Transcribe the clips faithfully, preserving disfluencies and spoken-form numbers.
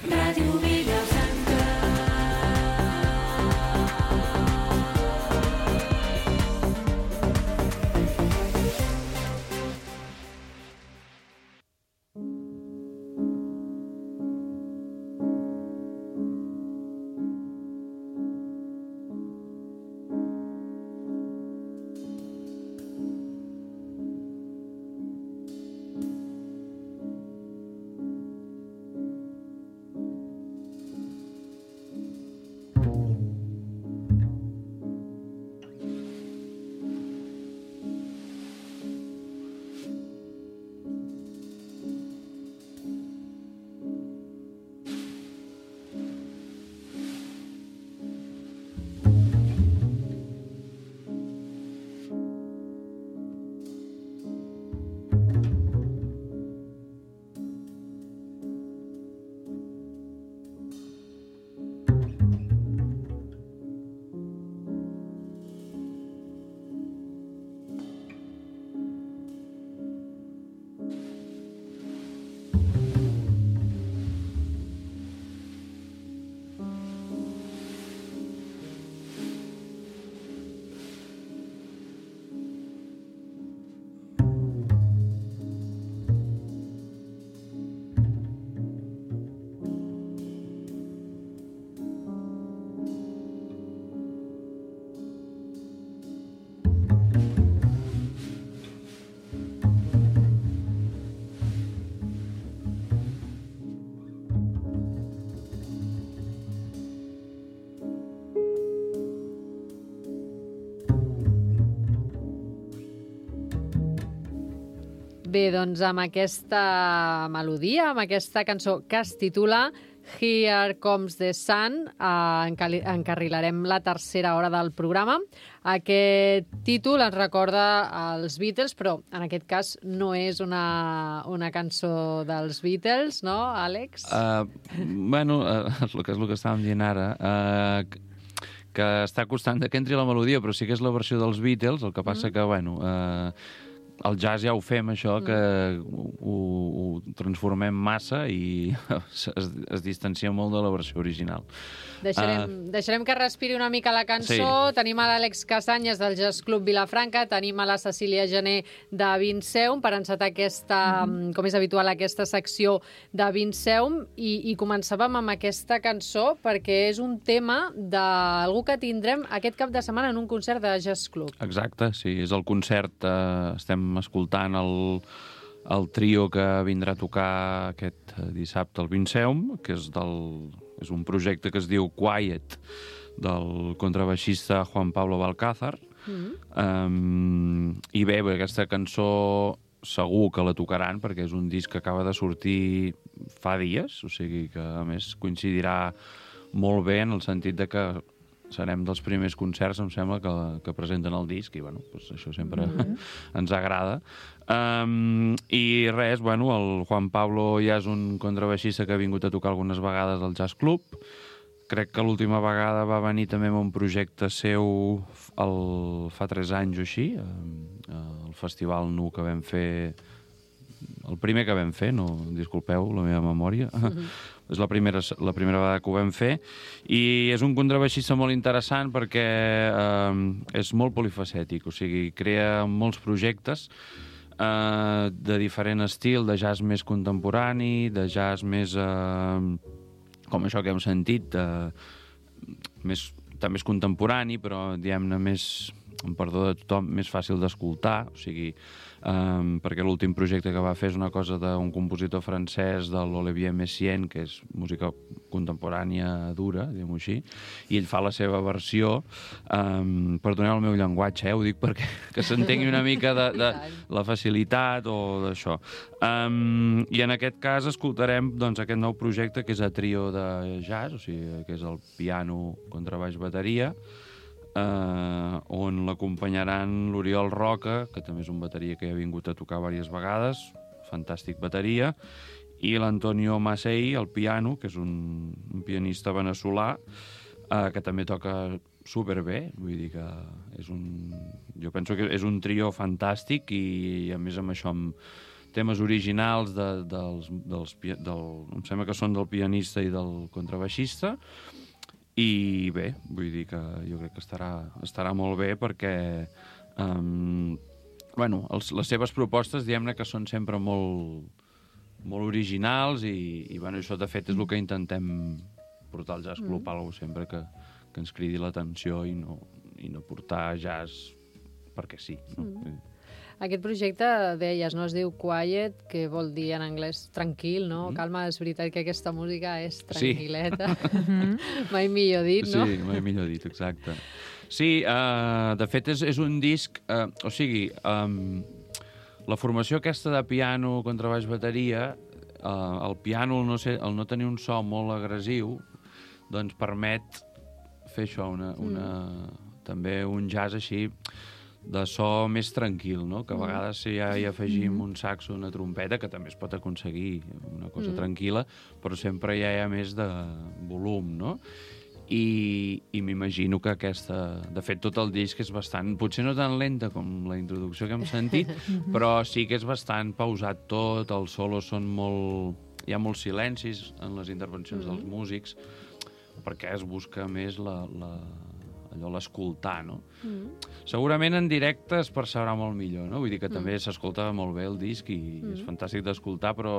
Ràdio Vilafranca. Bé, doncs amb aquesta melodia, amb aquesta cançó que es titula Here Comes the Sun, eh, encarrilarem la tercera hora del programa. Aquest títol ens recorda als Beatles, però en aquest cas no és una, una cançó dels Beatles, no, Àlex? Uh, bueno, uh, és el que és el que estàvem dient ara. Uh, que està costant que entri la melodia, però sí que és la versió dels Beatles, el que passa mm. que, bueno... Uh, el jazz ja ho fem, això, que ho, ho transformem massa i es, es distancia molt de la versió original. Deixarem, uh, deixarem que respiri una mica la cançó. Sí. Tenim a l'Àlex Casanyes del Jazz Club Vilafranca, tenim a la Cecília Gené de Vinceum per encetar aquesta, mm-hmm. com és habitual, aquesta secció de Vinceum i, i començàvem amb aquesta cançó perquè és un tema d'algú que tindrem aquest cap de setmana en un concert de Jazz Club. Exacte, sí, és el concert, eh, estem escoltant el, el trio que vindrà a tocar aquest dissabte al Vinceum, que és, del, és un projecte que es diu Quiet, del contrabaixista Juan Pablo Balcázar. Mm-hmm. Um, I bé, aquesta cançó segur que la tocaran perquè és un disc que acaba de sortir fa dies, o sigui que a més coincidirà molt bé en el sentit de que serem dels primers concerts, em sembla, que, que presenten el disc, i bueno, doncs això sempre mm-hmm. ens agrada. Um, I res, bueno, el Juan Pablo ja és un contrabaixista que ha vingut a tocar algunes vegades al Jazz Club. Crec que l'última vegada va venir també amb un projecte seu el, fa tres anys o així, el festival nu que vam fer, el primer que vam fer, no, disculpeu la meva memòria, mm-hmm. és la primera, la primera vegada que ho vam fer, i és un contrabaixista molt interessant perquè eh, és molt polifacètic, o sigui, crea molts projectes eh, de diferent estil, de jazz més contemporani, de jazz més, eh, com això que hem sentit, eh, més, també és contemporani, però diguem-ne més, amb perdó de tothom, més fàcil d'escoltar, o sigui, Um, perquè l'últim projecte que va fer és una cosa d'un compositor francès, de l'Olivier Messiaen, que és música contemporània dura, diguem-ho així, i ell fa la seva versió, um, perdoneu el meu llenguatge, eh, ho dic perquè que s'entengui una mica de, de la facilitat o d'això. Um, I en aquest cas escoltarem doncs, aquest nou projecte que és a trio de jazz, o sigui, que és el piano, contrabaix, bateria, Uh, on l'acompanyaran l'Oriol Roca, que també és un bateria que ha vingut a tocar diverses vegades, fantàstic bateria, i l'Antonio Macei, el piano, que és un, un pianista veneçolà, uh, que també toca superbé, vull dir que és un... Jo penso que és un trio fantàstic i, a més, amb això, amb temes originals de, dels, dels, del, em sembla que són del pianista i del contrabaixista, i bé, vull dir que jo crec que estarà, estarà molt bé perquè um, bueno, els, les seves propostes, diguem-ne que són sempre molt, molt originals i, i bueno, això de fet és el que intentem portar al jazz club, mm. alguna sempre que, que ens cridi l'atenció i no, i no portar jazz perquè sí. No? Mm. Aquest projecte, deies, no es diu Quiet, que vol dir en anglès tranquil, no? Mm. Calma, és veritat que aquesta música és tranquil·leta. Sí. Mai millor dit, no? Sí, mai millor dit, exacte. Sí, uh, de fet és, és un disc... Uh, o sigui, um, la formació aquesta de piano, contrabaix, bateria, uh, el piano, el no, sé, el no tenir un so molt agressiu, doncs permet fer això, una, una, mm. també un jazz així de so més tranquil, no? Que a vegades si ja hi afegim mm. un saxo, una trompeta, que també es pot aconseguir una cosa mm. tranquil·la, però sempre ja hi ha més de volum, no? I, i m'imagino que aquesta... De fet, tot el disc és bastant... Potser no tan lenta com la introducció que hem sentit, però sí que és bastant pausat tot, els solos són molt... Hi ha molts silencis en les intervencions mm. dels músics, perquè es busca més la... la allò l'escoltar, no? Mm. Segurament en directe es percebrà molt millor, no? Vull dir que mm. també s'escolta molt bé el disc i mm. és fantàstic d'escoltar, però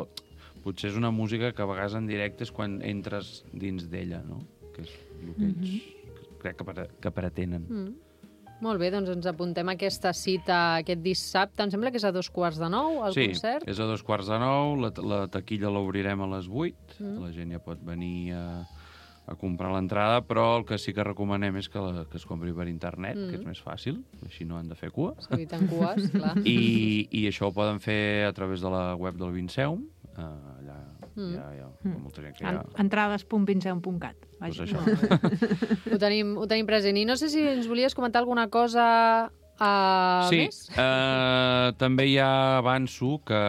potser és una música que a vegades en directe és quan entres dins d'ella, no? Que és el que ells mm-hmm. crec que, pre que pretenen. Mm. Molt bé, doncs ens apuntem a aquesta cita aquest dissabte. Em sembla que és a dos quarts de nou, el sí, concert. Sí, és a dos quarts de nou, la, la taquilla l'obrirem a les vuit, mm. la gent ja pot venir a... a comprar l'entrada, però el que sí que recomanem és que, la, que es compri per internet, mm. que és més fàcil, així no han de fer cua. S'eviten cues, clar. I, I això ho poden fer a través de la web del Vinceum, uh, allà mm. hi ha, hi ha mm. molta gent que hi ha... entrades punt vinceum punt cat. Pues això. ho, tenim, ho tenim present. I no sé si ens volies comentar alguna cosa uh, sí, més? Sí, uh, també ja avanço que,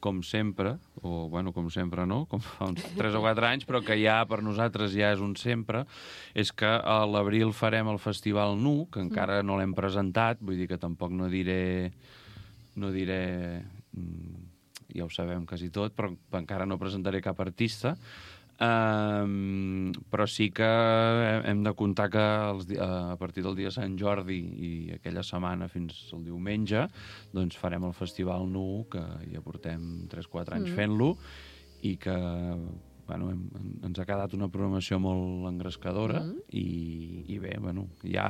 com sempre, o, bueno, com sempre no, com fa uns tres o quatre anys, però que ja per nosaltres ja és un sempre, és que a l'abril farem el Festival Nu, que encara no l'hem presentat, vull dir que tampoc no diré... no diré... ja ho sabem quasi tot, però encara no presentaré cap artista. Um, però sí que hem de comptar que els, a partir del dia de Sant Jordi i aquella setmana fins al diumenge doncs farem el Festival Nu, que ja portem tres o quatre anys mm. fent-lo, i que bueno, hem, ens ha quedat una programació molt engrescadora mm. i, i bé, bueno, ja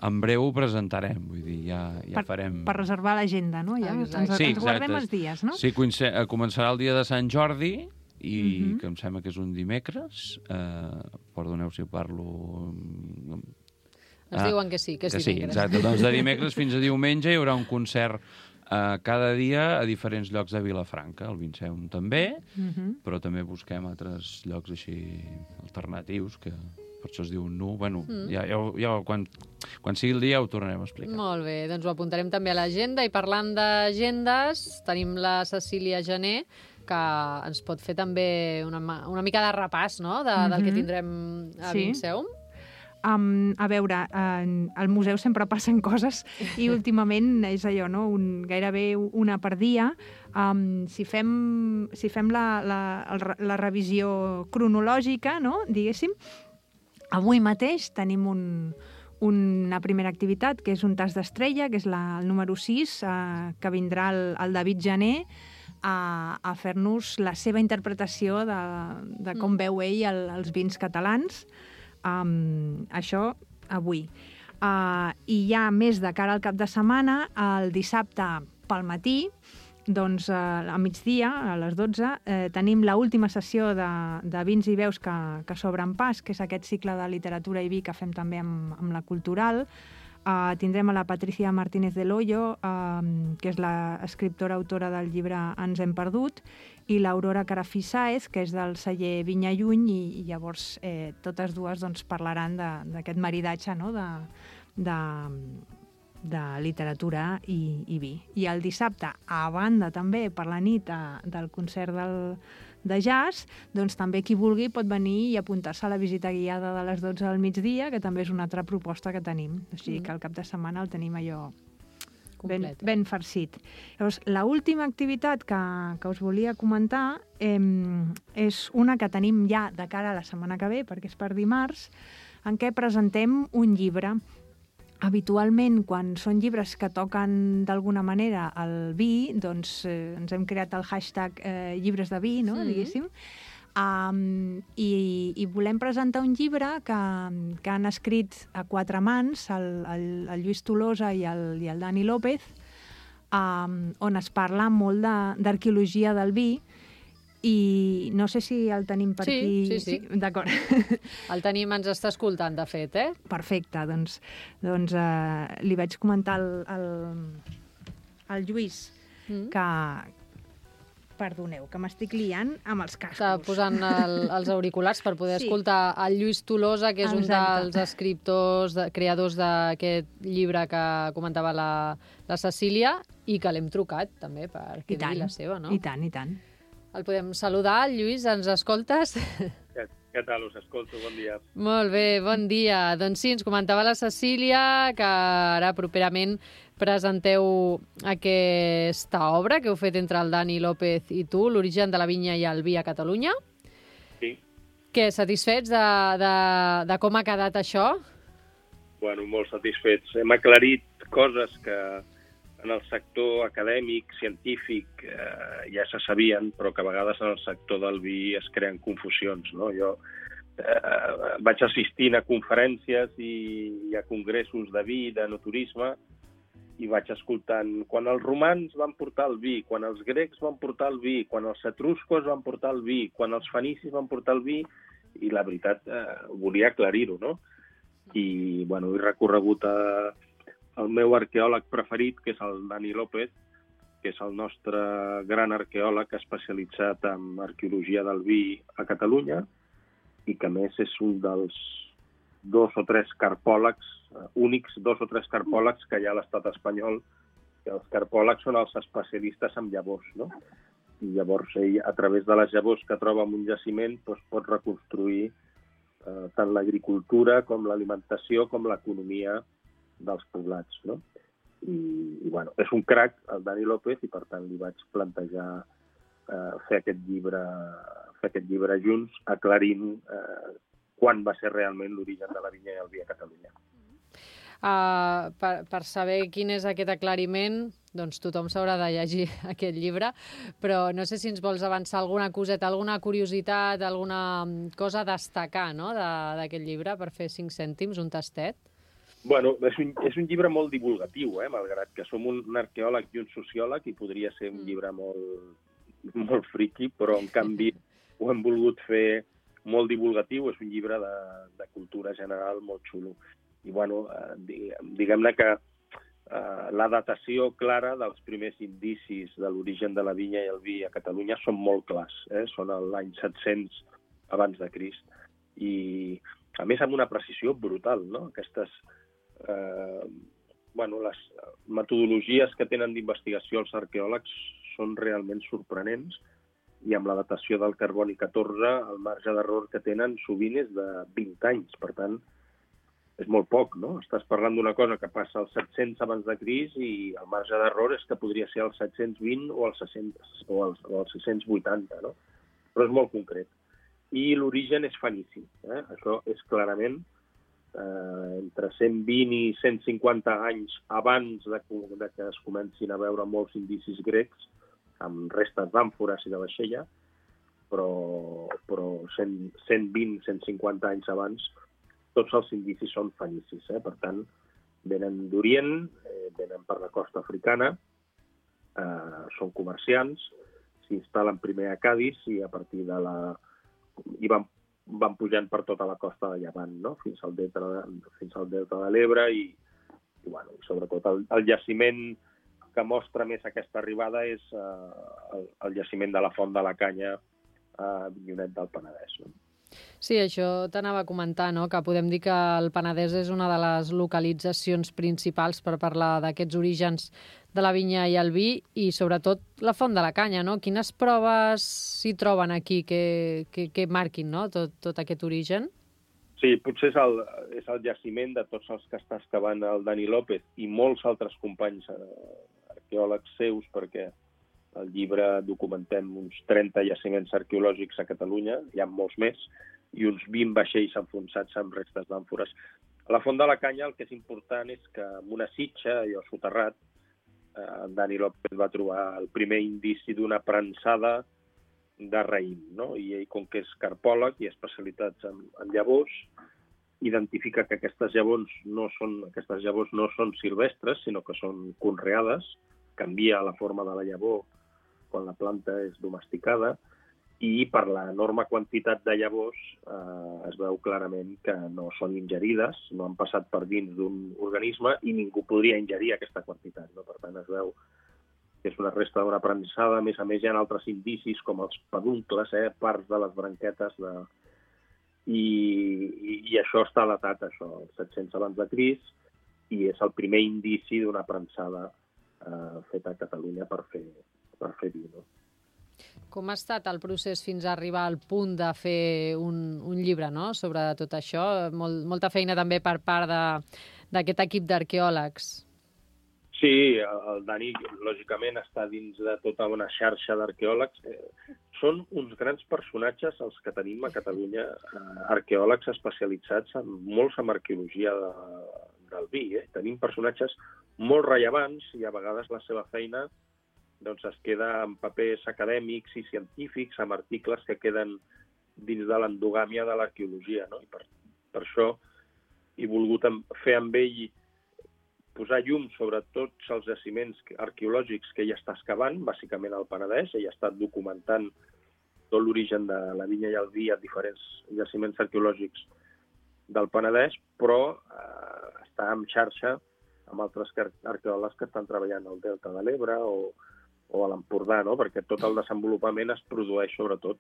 en breu ho presentarem, vull dir, ja, ja per, farem... Per reservar l'agenda, no? Ja, ens, sí, ens guardem els dies, no? Sí, començarà el dia de Sant Jordi, i uh-huh. que em sembla que és un dimecres. Eh, perdoneu si parlo... Ens ah, diuen que sí, que és que dimecres. Sí, exacte. Doncs de dimecres fins a diumenge hi haurà un concert eh, cada dia a diferents llocs de Vilafranca. El Vinceum també, uh-huh. però també busquem altres llocs així alternatius, que per això es diu Nu. Bueno, mm. ja, ja, ja, quan, quan sigui el dia ho tornarem a explicar. Molt bé, doncs ho apuntarem també a l'agenda. I parlant d'agendes, tenim la Cecília Gené, que ens pot fer també una, una mica de repàs, no?, de, mm-hmm. del que tindrem a sí. Vinceum. Um, a veure, uh, al museu sempre passen coses i últimament és allò, no?, un, gairebé una per dia. Um, si fem, si fem la, la, la revisió cronològica, no?, diguéssim, avui mateix tenim un, una primera activitat, que és un tas d'estrella, que és la, el número sis, uh, que vindrà el, el David Gené a, a fer-nos la seva interpretació de, de com mm. veu ell el, els vins catalans. Um, això avui. Uh, I ja més de cara al cap de setmana, el dissabte pel matí, doncs uh, a migdia, a les dotze, eh, tenim l'última sessió de, de vins i veus que, que s'obren pas, que és aquest cicle de literatura i vi que fem també amb, amb la Cultural. Uh, tindrem a la Patricia Martínez del Hoyo, uh, que és l'escriptora autora del llibre Ens hem perdut, i l'Aurora Carafí Sáez, que és del celler Vinya Lluny, i, i llavors eh, totes dues doncs, parlaran d'aquest maridatge, no?, de, de, de literatura i, i vi. I el dissabte, a banda també per la nit a, del concert del, de jazz, doncs també qui vulgui pot venir i apuntar-se a la visita guiada de les dotze del migdia, que també és una altra proposta que tenim. O sigui que el cap de setmana el tenim allò ben, Complet. ben farcit. Llavors, l'última activitat que, que us volia comentar eh, és una que tenim ja de cara a la setmana que ve, perquè és per dimarts, en què presentem un llibre. Habitualment, quan són llibres que toquen d'alguna manera el vi, doncs eh, ens hem creat el hashtag eh, llibres de vi, no? Mm. Diguéssim. Um, i, i volem presentar un llibre que, que han escrit a quatre mans, el, el, el Lluís Tolosa i el, i el Dani López, um, on es parla molt de- d'arqueologia del vi, i no sé si el tenim per Sí, aquí. sí, sí. D'acord. El tenim, ens està escoltant, de fet, eh? Perfecte, doncs, doncs eh, li vaig comentar al, al, al Lluís Mm. que, perdoneu, que m'estic liant amb els cascos. Està posant el, els auriculars per poder Sí. escoltar el Lluís Tolosa, que és un Exacte. dels escriptors, de, creadors d'aquest llibre que comentava la, la Cecília, i que l'hem trucat, també, per que I tant, digui la seva, no? i tant, i tant. El podem saludar, Lluís, ens escoltes? Què, què tal? Us escolto, bon dia. Molt bé, bon dia. Doncs sí, ens comentava la Cecília que ara properament presenteu aquesta obra que heu fet entre el Dani López i tu, l'origen de la vinya i el vi a Catalunya. Sí, Què, satisfets de, de, de com ha quedat això? bueno, molt satisfets. Hem aclarit coses que en el sector acadèmic, científic, eh, ja se sabien, però que a vegades en el sector del vi es creen confusions, no? Jo eh, vaig assistint a conferències i, i a congressos de vi, de naturisme, i vaig escoltant quan els romans van portar el vi, quan els grecs van portar el vi, quan els etruscos van portar el vi, quan els fenicis van portar el vi, i la veritat eh, volia aclarir-ho, no? I, bueno, he recorregut a, el meu arqueòleg preferit, que és el Dani López, que és el nostre gran arqueòleg especialitzat en arqueologia del vi a Catalunya i que, a més, és un dels dos o tres carpòlegs, eh, únics dos o tres carpòlegs que hi ha a l'estat espanyol, que els carpòlegs són els especialistes en llavors, no? I llavors ell, a través de les llavors que troba en un jaciment, doncs, pot reconstruir eh, tant l'agricultura com l'alimentació com l'economia dels poblats, no? I, i bueno, és un crac, el Dani López, i per tant li vaig plantejar eh, fer aquest llibre fer aquest llibre junts, aclarint eh, quan va ser realment l'origen de la vinya i el vi a Catalunya. Uh, per, per saber quin és aquest aclariment, doncs tothom s'haurà de llegir aquest llibre, però no sé si ens vols avançar alguna coseta, alguna curiositat, alguna cosa a destacar, no?, de- d'aquest llibre, per fer cinc cèntims, un tastet. Bueno, és un, és un llibre molt divulgatiu, eh? Malgrat que som un, un arqueòleg i un sociòleg, i podria ser un llibre molt, molt friqui, però en canvi ho hem volgut fer molt divulgatiu. És un llibre de, de cultura general molt xulo. I bueno, eh, diguem- diguem-ne que eh, la datació clara dels primers indicis de l'origen de la vinya i el vi a Catalunya són molt clars, eh? Són a l'any set-cents abans de Crist. I, a més, amb una precisió brutal, no? Aquestes eh, bueno, les metodologies que tenen d'investigació els arqueòlegs són realment sorprenents, i amb la datació del carboni catorze el marge d'error que tenen sovint és de vint anys. Per tant, és molt poc, no? Estàs parlant d'una cosa que passa als set-cents abans de Crist i el marge d'error és que podria ser als set-cents vint o als, o als, o als sis-cents vuitanta, no? Però és molt concret. I l'origen és fenici, eh? Això és clarament eh, entre cent vint i cent cinquanta anys abans de, de que es comencin a veure molts indicis grecs, amb restes d'àmfores i de vaixella, però, però cent, cent vint a cent cinquanta anys abans tots els indicis són fenicis. Eh? Per tant, venen d'Orient, eh, venen per la costa africana, eh, són comerciants, s'instal·len primer a Cadis i a partir de la... i van, van pujant per tota la costa de Llevant, no? fins al delta de, fins al delta de l'Ebre i, i bueno, sobretot el, el jaciment que mostra més aquesta arribada és eh, el, el jaciment de la Font de la Canya a Avinyonet del Penedès. No? Sí, això t'anava a comentar, no?, que podem dir que el Penedès és una de les localitzacions principals per parlar d'aquests orígens de la vinya i el vi, i sobretot la Font de la Canya, no? Quines proves s'hi troben aquí que, que, que marquin, no?, tot, tot aquest origen? Sí, potser és el, és el jaciment de tots els que està excavant el Dani López i molts altres companys eh, arqueòlegs seus, perquè al llibre documentem uns trenta jaciments arqueològics a Catalunya, hi ha molts més, i uns vint vaixells enfonsats amb restes d'àmfores. A la Font de la Canya el que és important és que en una sitxa, allò soterrat, eh, en Dani López va trobar el primer indici d'una prensada de raïm, no? I ell, com que és carpòleg i especialitzat en, en llavors, identifica que aquestes llavors no són, aquestes llavors no són silvestres, sinó que són conreades, canvia la forma de la llavor quan la planta és domesticada, i per l'enorme quantitat de llavors eh, es veu clarament que no són ingerides, no han passat per dins d'un organisme i ningú podria ingerir aquesta quantitat, no? Per tant, es veu que és una resta d'una prensada. A més a més, hi ha altres indicis, com els peduncles, eh, parts de les branquetes, de... I, i, i això està datat, això, als set-cents abans de Crist, i és el primer indici d'una prensada eh, feta a Catalunya per fer, per fer vi, no? Com ha estat el procés fins a arribar al punt de fer un, un llibre, no?, sobre tot això? Molt, molta feina també per part d'aquest equip d'arqueòlegs. Sí, el Dani, lògicament, està dins de tota una xarxa d'arqueòlegs. Són uns grans personatges els que tenim a Catalunya, arqueòlegs especialitzats en molts en arqueologia de, del vi. Eh? Tenim personatges molt rellevants i a vegades la seva feina doncs, es queda en papers acadèmics i científics, amb articles que queden dins de l'endogàmia de l'arqueologia. No? I per, per això he volgut fer amb ell posar llum sobre tots els jaciments arqueològics que ell està excavant, bàsicament al Penedès. Ell ha estat documentant tot l'origen de la vinya i el vi a diferents jaciments arqueològics del Penedès, però eh, està en xarxa amb altres arqueòlegs que estan treballant al Delta de l'Ebre o, o a l'Empordà, no? Perquè tot el desenvolupament es produeix sobretot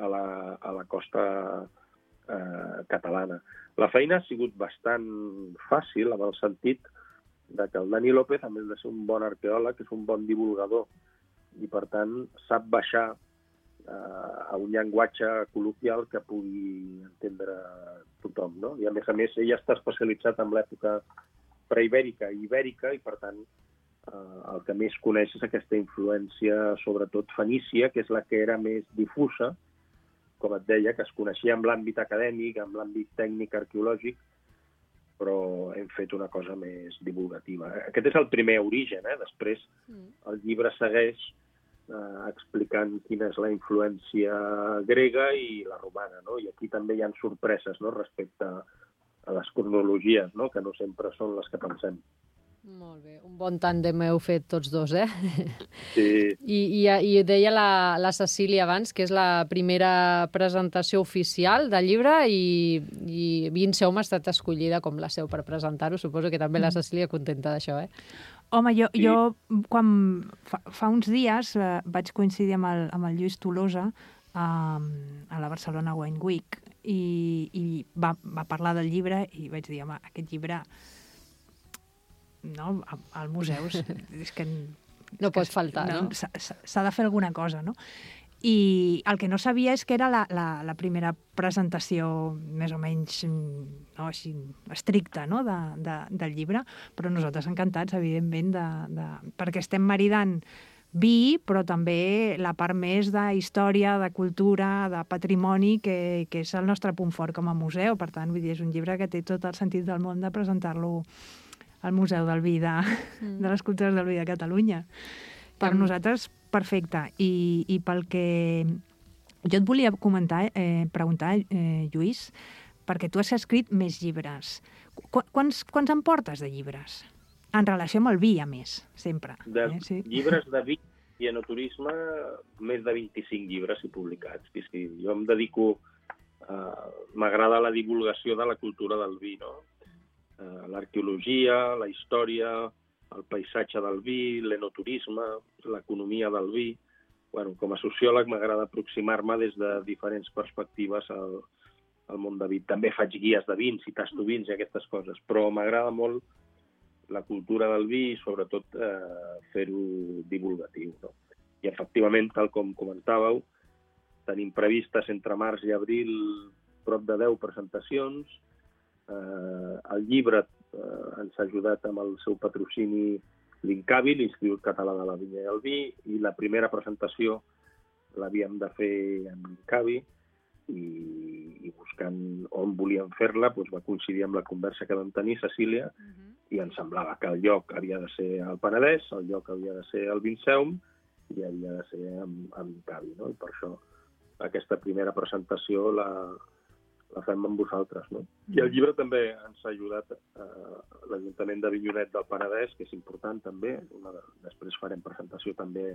a la, a la costa eh, catalana. La feina ha sigut bastant fàcil, en el sentit de que el Dani López, a més de ser un bon arqueòleg, és un bon divulgador i, per tant, sap baixar eh, a un llenguatge col·loquial que pugui entendre tothom, no? I, a més a més, ell està especialitzat en l'època preibèrica i ibèrica i, per tant, eh, el que més coneix és aquesta influència, sobretot fenícia, que és la que era més difusa, com et deia, que es coneixia en l'àmbit acadèmic, en l'àmbit tècnic arqueològic, però hem fet una cosa més divulgativa. Aquest és el primer origen, eh? Després el llibre segueix eh, explicant quina és la influència grega i la romana, no? I aquí també hi ha sorpreses, no?, respecte a les cronologies, no?, que no sempre són les que pensem. Molt bé, un bon tàndem heu fet tots dos, eh? Sí. I, i, i deia la, la Cecília abans que és la primera presentació oficial del llibre i, i Vinceum ha estat escollida com la seu per presentar-ho. Suposo que també la Cecília contenta d'això, eh? Home, jo, Sí. jo quan fa, fa uns dies eh, vaig coincidir amb el, amb el Lluís Tolosa eh, a la Barcelona Wine Week i, i va, va parlar del llibre i vaig dir, home, aquest llibre... no, al museu és, és que no pot faltar, no? S'ha de fer alguna cosa, no? I el que no sabia és que era la, la, la primera presentació més o menys no, així, estricta, no? de, de, del llibre, però nosaltres encantats, evidentment, de, de, perquè estem maridant vi, però també la part més de història, de cultura, de patrimoni, que, que és el nostre punt fort com a museu. Per tant, vull dir, és un llibre que té tot el sentit del món de presentar-lo al Museu del Vi de, mm. de les Cultures del Vi de Catalunya. Per mm. nosaltres, perfecte. I, i pel que... Jo et volia comentar, eh, preguntar, eh, Lluís, perquè tu has escrit més llibres. Qu quants, quants en portes de llibres? En relació amb el vi, a més, sempre. De eh? Sí. Llibres de vi i enoturisme, més de vint-i-cinc llibres i publicats. Sí, sí. Jo em dedico... Uh, m'agrada la divulgació de la cultura del vi, no? L'arqueologia, la història, el paisatge del vi, l'enoturisme, l'economia del vi. Bueno, com a sociòleg m'agrada aproximar-me des de diferents perspectives al, al món de vi. També faig guies de vins i tasto vins i aquestes coses, però m'agrada molt la cultura del vi i sobretot eh, fer-ho divulgatiu. No? I efectivament, tal com comentàveu, tenim previstes entre març i abril prop de deu presentacions. Eh, el llibre eh, ens ha ajudat amb el seu patrocini l'INCAVI, l'Institut Català de la Vinya i el Vi, i la primera presentació l'havíem de fer amb l'INCAVI, i, i buscant on volíem fer-la doncs va coincidir amb la conversa que vam tenir, Cecília, uh-huh. i ens semblava que el lloc havia de ser al Penedès, el lloc havia de ser al Vinceum, i havia de ser amb, amb l'INCAVI, no? I per això aquesta primera presentació la, la fem amb vosaltres, no? I el llibre també ens ha ajudat eh, l'Ajuntament d'Avinyonet del Penedès, que és important també. Una de, després farem presentació també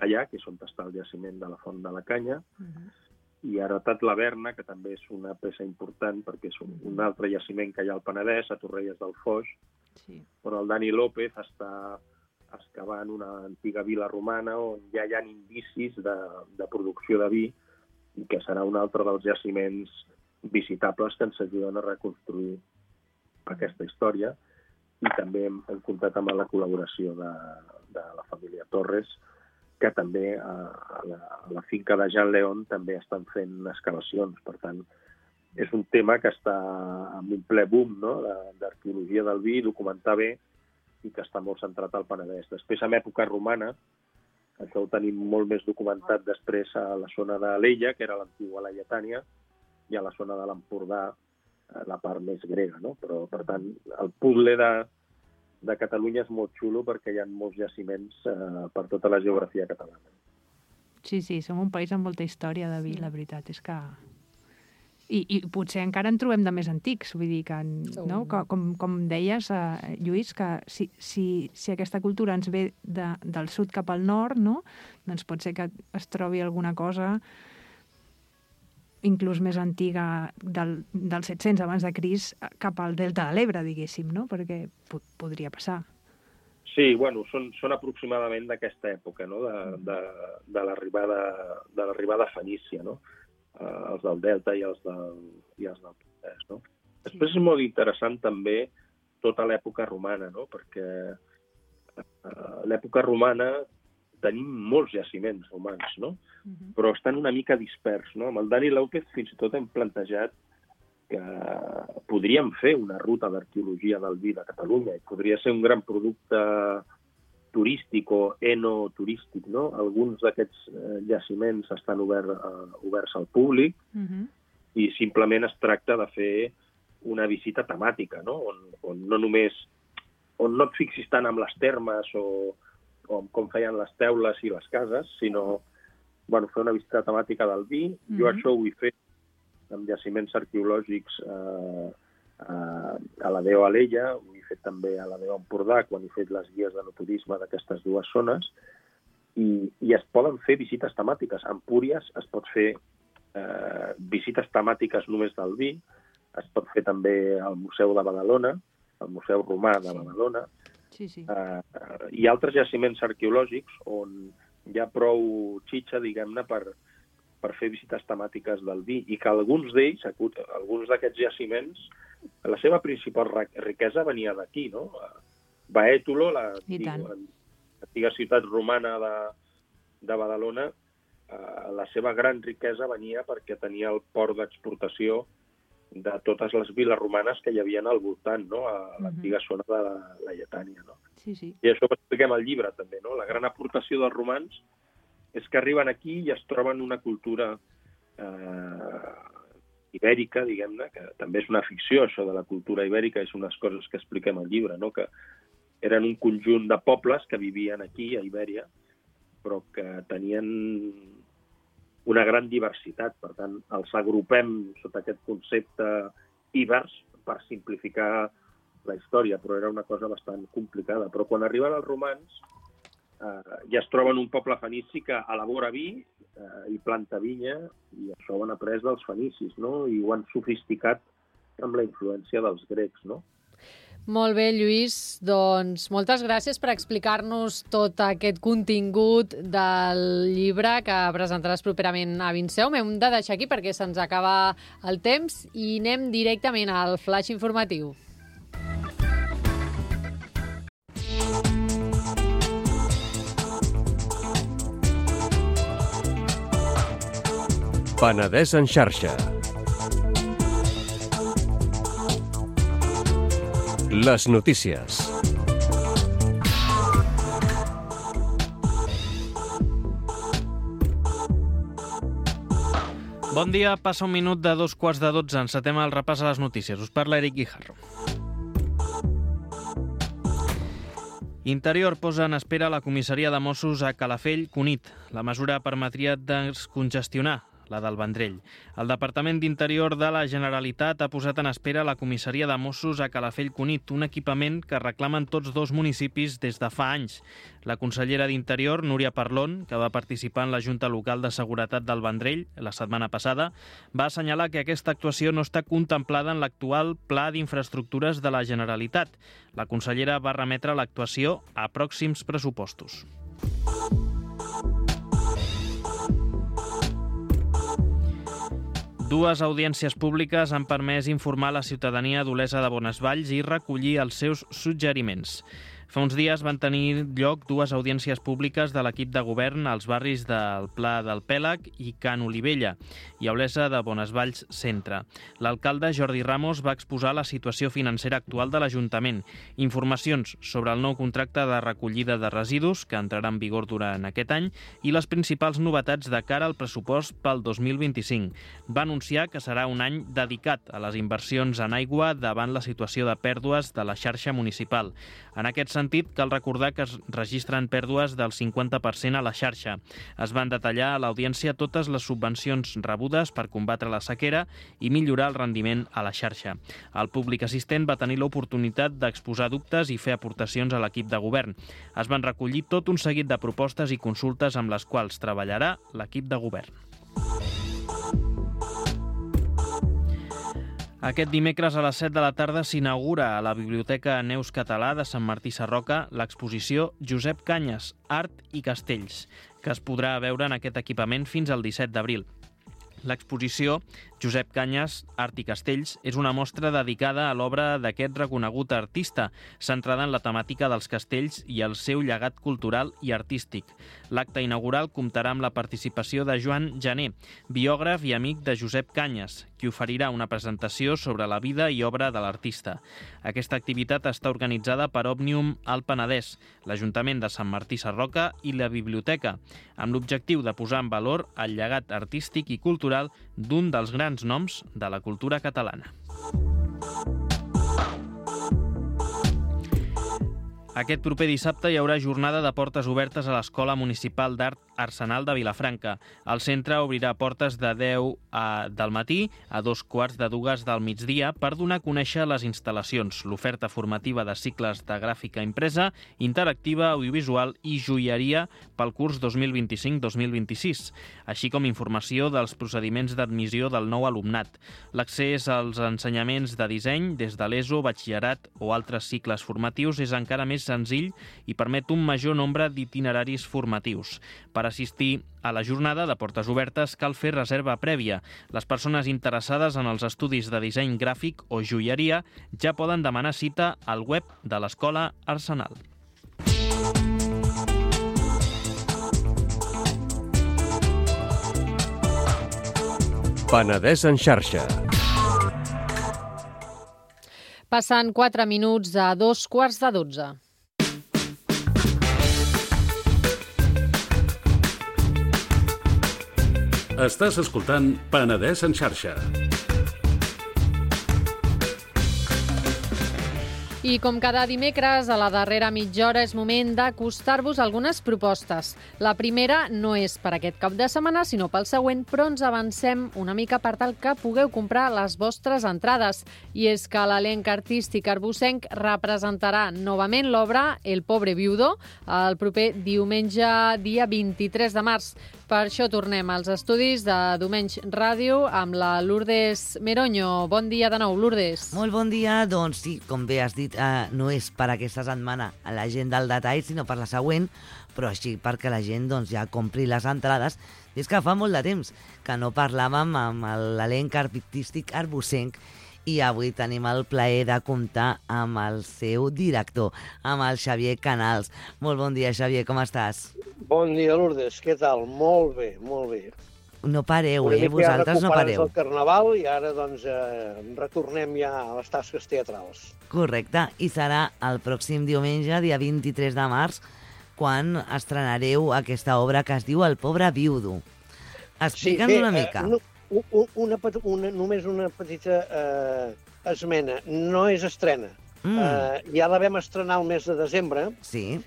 allà, que és on està el jaciment de la Font de la Canya. Uh-huh. I Heretat la Verna, que també és una peça important, perquè és un, un altre jaciment que hi ha al Penedès, a Torrelles del Foix, sí. on el Dani López està excavant una antiga vila romana on ja hi ha indicis de, de producció de vi, i que serà un altre dels jaciments visitables que ens ajuden a reconstruir aquesta història. I també hem, hem comptat amb la col·laboració de, de la família Torres, que també a, a, la, a la finca de Jean León també estan fent excavacions. Per tant, és un tema que està amb un ple boom, no?, d'arqueologia del vi, documentar bé, i que està molt centrat al Penedès. Després, en època romana, això ho tenim molt més documentat després a la zona de l'Ella, que era l'antiga Laietània, i a la zona de l'Empordà, la part més grega, no? Però, per tant, el puzzle de, de Catalunya és molt xulo perquè hi ha molts jaciments eh, per tota la geografia catalana. Sí, sí, som un país amb molta història de vi, sí. La veritat és que... I, I potser encara en trobem de més antics, vull dir que, no? que com, com deies, eh, Lluís, que si, si, si aquesta cultura ens ve de, del sud cap al nord, no? Doncs pot ser que es trobi alguna cosa inclús més antiga del, del set-cents abans de Crist cap al Delta de l'Ebre, diguéssim, no? Perquè po- podria passar. Sí, bueno, són, són aproximadament d'aquesta època, no? De, de, de l'arribada de l'arribada fenícia, no? Uh, els del Delta i els del, i els del Penedès, no? Després és molt interessant també tota l'època romana, no? Perquè uh, l'època romana tenim molts jaciments romans, no? Uh-huh. Però estan una mica dispersos, no? Amb el Dani López fins i tot hem plantejat que podríem fer una ruta d'arqueologia del vi de Catalunya i podria ser un gran producte turístic o enoturístic, no? Alguns d'aquests eh, jaciments estan obert, eh, oberts al públic uh-huh. i simplement es tracta de fer una visita temàtica, no? On, on no només on no et fixis tant amb les termes o, o com feien les teules i les cases, sinó bueno, fer una visita temàtica del vi. Uh-huh. Jo això ho he fet amb jaciments arqueològics eh, eh, a la Déu Alella, ho he fet també a la Déu Empordà, quan he fet les guies de no turisme d'aquestes dues zones, i, i es poden fer visites temàtiques. A Empúries es pot fer eh, visites temàtiques només del vi, es pot fer també al Museu de Badalona, al Museu Romà de Badalona, sí, sí. Eh, i altres jaciments arqueològics on hi ha prou xitxa, diguem-ne, per per fer visites temàtiques del vi, i que alguns d'ells, alguns d'aquests jaciments, la seva principal riquesa venia d'aquí, no? Baètolo, l'antiga ciutat romana de, de Badalona, eh, la seva gran riquesa venia perquè tenia el port d'exportació de totes les viles romanes que hi havia al voltant, no? A l'antiga zona de la Laietània, no? Sí, sí. I això ho expliquem al llibre, també, no? La gran aportació dels romans és que arriben aquí i es troben una cultura eh, ibèrica, diguem-ne, que també és una ficció, això de la cultura ibèrica, és unes coses que expliquem al llibre, no? Que eren un conjunt de pobles que vivien aquí, a Ibèria, però que tenien una gran diversitat. Per tant, els agrupem sota aquest concepte ibers per simplificar la història, però era una cosa bastant complicada. Però quan arriben els romans, Uh, ja es troben un poble fenici que elabora vi uh, i planta vinya, i això ho han après dels fenicis, no? I ho han sofisticat amb la influència dels grecs, no? Molt bé, Lluís. Doncs moltes gràcies per explicar-nos tot aquest contingut del llibre que presentaràs properament a Vinceum. Hem de deixar aquí perquè se'ns acaba el temps i anem directament al flash informatiu. Penedès en xarxa. Les notícies. Bon dia, passa un minut de dos quarts de dotze. Encetem el repàs a les notícies. Us parla Eric Guijarro. Interior posa en espera la comissaria de Mossos a Calafell, Cunit. La mesura permetria descongestionar la del Vendrell. El Departament d'Interior de la Generalitat ha posat en espera la comissaria de Mossos a Calafell, Cunit, un equipament que reclamen tots dos municipis des de fa anys. La consellera d'Interior, Núria Parlon, que va participar en la Junta Local de Seguretat del Vendrell la setmana passada, va assenyalar que aquesta actuació no està contemplada en l'actual Pla d'Infraestructures de la Generalitat. La consellera va remetre l'actuació a pròxims pressupostos. Dues audiències públiques han permès informar la ciutadania d'Olesa de Bonesvalls i recollir els seus suggeriments. Fa uns dies van tenir lloc dues audiències públiques de l'equip de govern als barris del Pla del Pèlag i Can Olivella i a Olesa de Bonesvalls Centre. L'alcalde Jordi Ramos va exposar la situació financera actual de l'Ajuntament, informacions sobre el nou contracte de recollida de residus que entrarà en vigor durant aquest any i les principals novetats de cara al pressupost pel dos mil vint-i-cinc. Va anunciar que serà un any dedicat a les inversions en aigua davant la situació de pèrdues de la xarxa municipal. En aquest sentit, cal recordar que es registren pèrdues del cinquanta per cent a la xarxa. Es van detallar a l'audiència totes les subvencions rebudes per combatre la sequera i millorar el rendiment a la xarxa. El públic assistent va tenir l'oportunitat d'exposar dubtes i fer aportacions a l'equip de govern. Es van recollir tot un seguit de propostes i consultes amb les quals treballarà l'equip de govern. Aquest dimecres a les set de la tarda s'inaugura a la Biblioteca Neus Català de Sant Martí Sarroca l'exposició Josep Canyes, Art i Castells, que es podrà veure en aquest equipament fins al disset d'abril. L'exposició Josep Canyes, Art i Castells és una mostra dedicada a l'obra d'aquest reconegut artista, centrada en la temàtica dels castells i el seu llegat cultural i artístic. L'acte inaugural comptarà amb la participació de Joan Jané, biògraf i amic de Josep Canyes, qui oferirà una presentació sobre la vida i obra de l'artista. Aquesta activitat està organitzada per Òmnium al Penedès, l'Ajuntament de Sant Martí Sarroca i la Biblioteca, amb l'objectiu de posar en valor el llegat artístic i cultural d'un dels grans noms de la cultura catalana. Aquest proper dissabte hi haurà jornada de portes obertes a l'Escola Municipal d'Art Arsenal de Vilafranca. El centre obrirà portes de deu a, del matí a dos quarts de dues del migdia per donar a conèixer les instal·lacions, l'oferta formativa de cicles de gràfica impresa, interactiva, audiovisual i joieria pel curs dos mil vint-i-cinc dos mil vint-i-sis, així com informació dels procediments d'admissió del nou alumnat. L'accés als ensenyaments de disseny des de l'ESO, batxillerat o altres cicles formatius és encara més senzill i permet un major nombre d'itineraris formatius. Per assistir a la jornada de portes obertes cal fer reserva prèvia. Les persones interessades en els estudis de disseny gràfic o joieria ja poden demanar cita al web de l'Escola Arsenal. Penedès en xarxa. Passant quatre minuts a dos quarts de dotze. Estàs escoltant Penedès en xarxa. I com cada dimecres, a la darrera mitja hora és moment d'acostar-vos algunes propostes. La primera no és per aquest cap de setmana, sinó pel següent, però ens avancem una mica per tal que pugueu comprar les vostres entrades. I és que l'elenc artístic arbocenc representarà novament l'obra El pobre viudo el proper diumenge, dia vint-i-tres de març. Per això tornem als estudis de Domenys Ràdio amb la Lourdes Meroño. Bon dia de nou, Lourdes. Molt bon dia. Doncs sí, com bé has dit, eh, no és per aquesta setmana a la gent del detall, sinó per la següent, però així perquè la gent doncs, ja compri les entrades. I és que fa molt de temps que no parlàvem amb l'elenc artístic arbocenc i avui tenim el plaer de comptar amb el seu director, amb el Xavier Canals. Molt bon dia, Xavier, com estàs? Bon dia, Lourdes. Què tal? Molt bé, molt bé. No pareu, Una eh? mica ja Vosaltres no recuperats pareu. del Carnaval i ara doncs eh, retornem ja a les tasques teatrals. Correcte, i serà el pròxim diumenge, dia vint-i-tres de març, quan estrenareu aquesta obra que es diu El pobre viudo. Explica'ns una mica. Eh, una, una, una, només una petita eh, esmena. No és estrena. Mm. Eh, ja la vam estrenar el mes de desembre, Sí.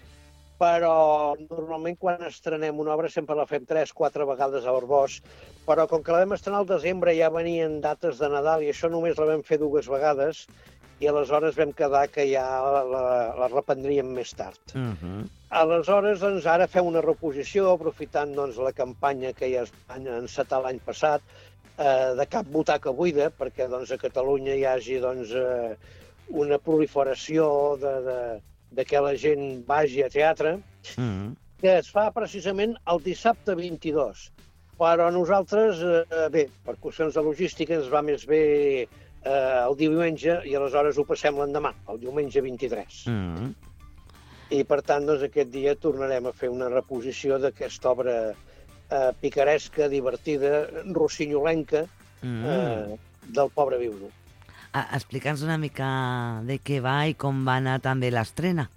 però normalment quan estrenem una obra sempre la fem tres, quatre vegades a Arbós, però com que la vam estrenar al desembre ja venien dates de Nadal i això només la vam fer dues vegades i aleshores vam quedar que ja la, la, la reprendríem més tard. Uh -huh. Aleshores, doncs, ara fem una reposició, aprofitant doncs, la campanya que ja es va encetar l'any passat, eh, de cap butaca buida, perquè doncs, a Catalunya hi hagi doncs, eh, una proliferació de, de, de que la gent vagi a teatre, Uh -huh. que es fa precisament el dissabte vint-i-dos. Però nosaltres, eh, bé, per qüestions de logística, ens va més bé eh, el diumenge i aleshores ho passem l'endemà, el diumenge vint-i-tres. Uh -huh. I, per tant, doncs, aquest dia tornarem a fer una reposició d'aquesta obra eh, picaresca, divertida, rossinyolenca, Mm. eh, del pobre viudo. Ah, explica'ns una mica de què va i com va anar també l'estrena.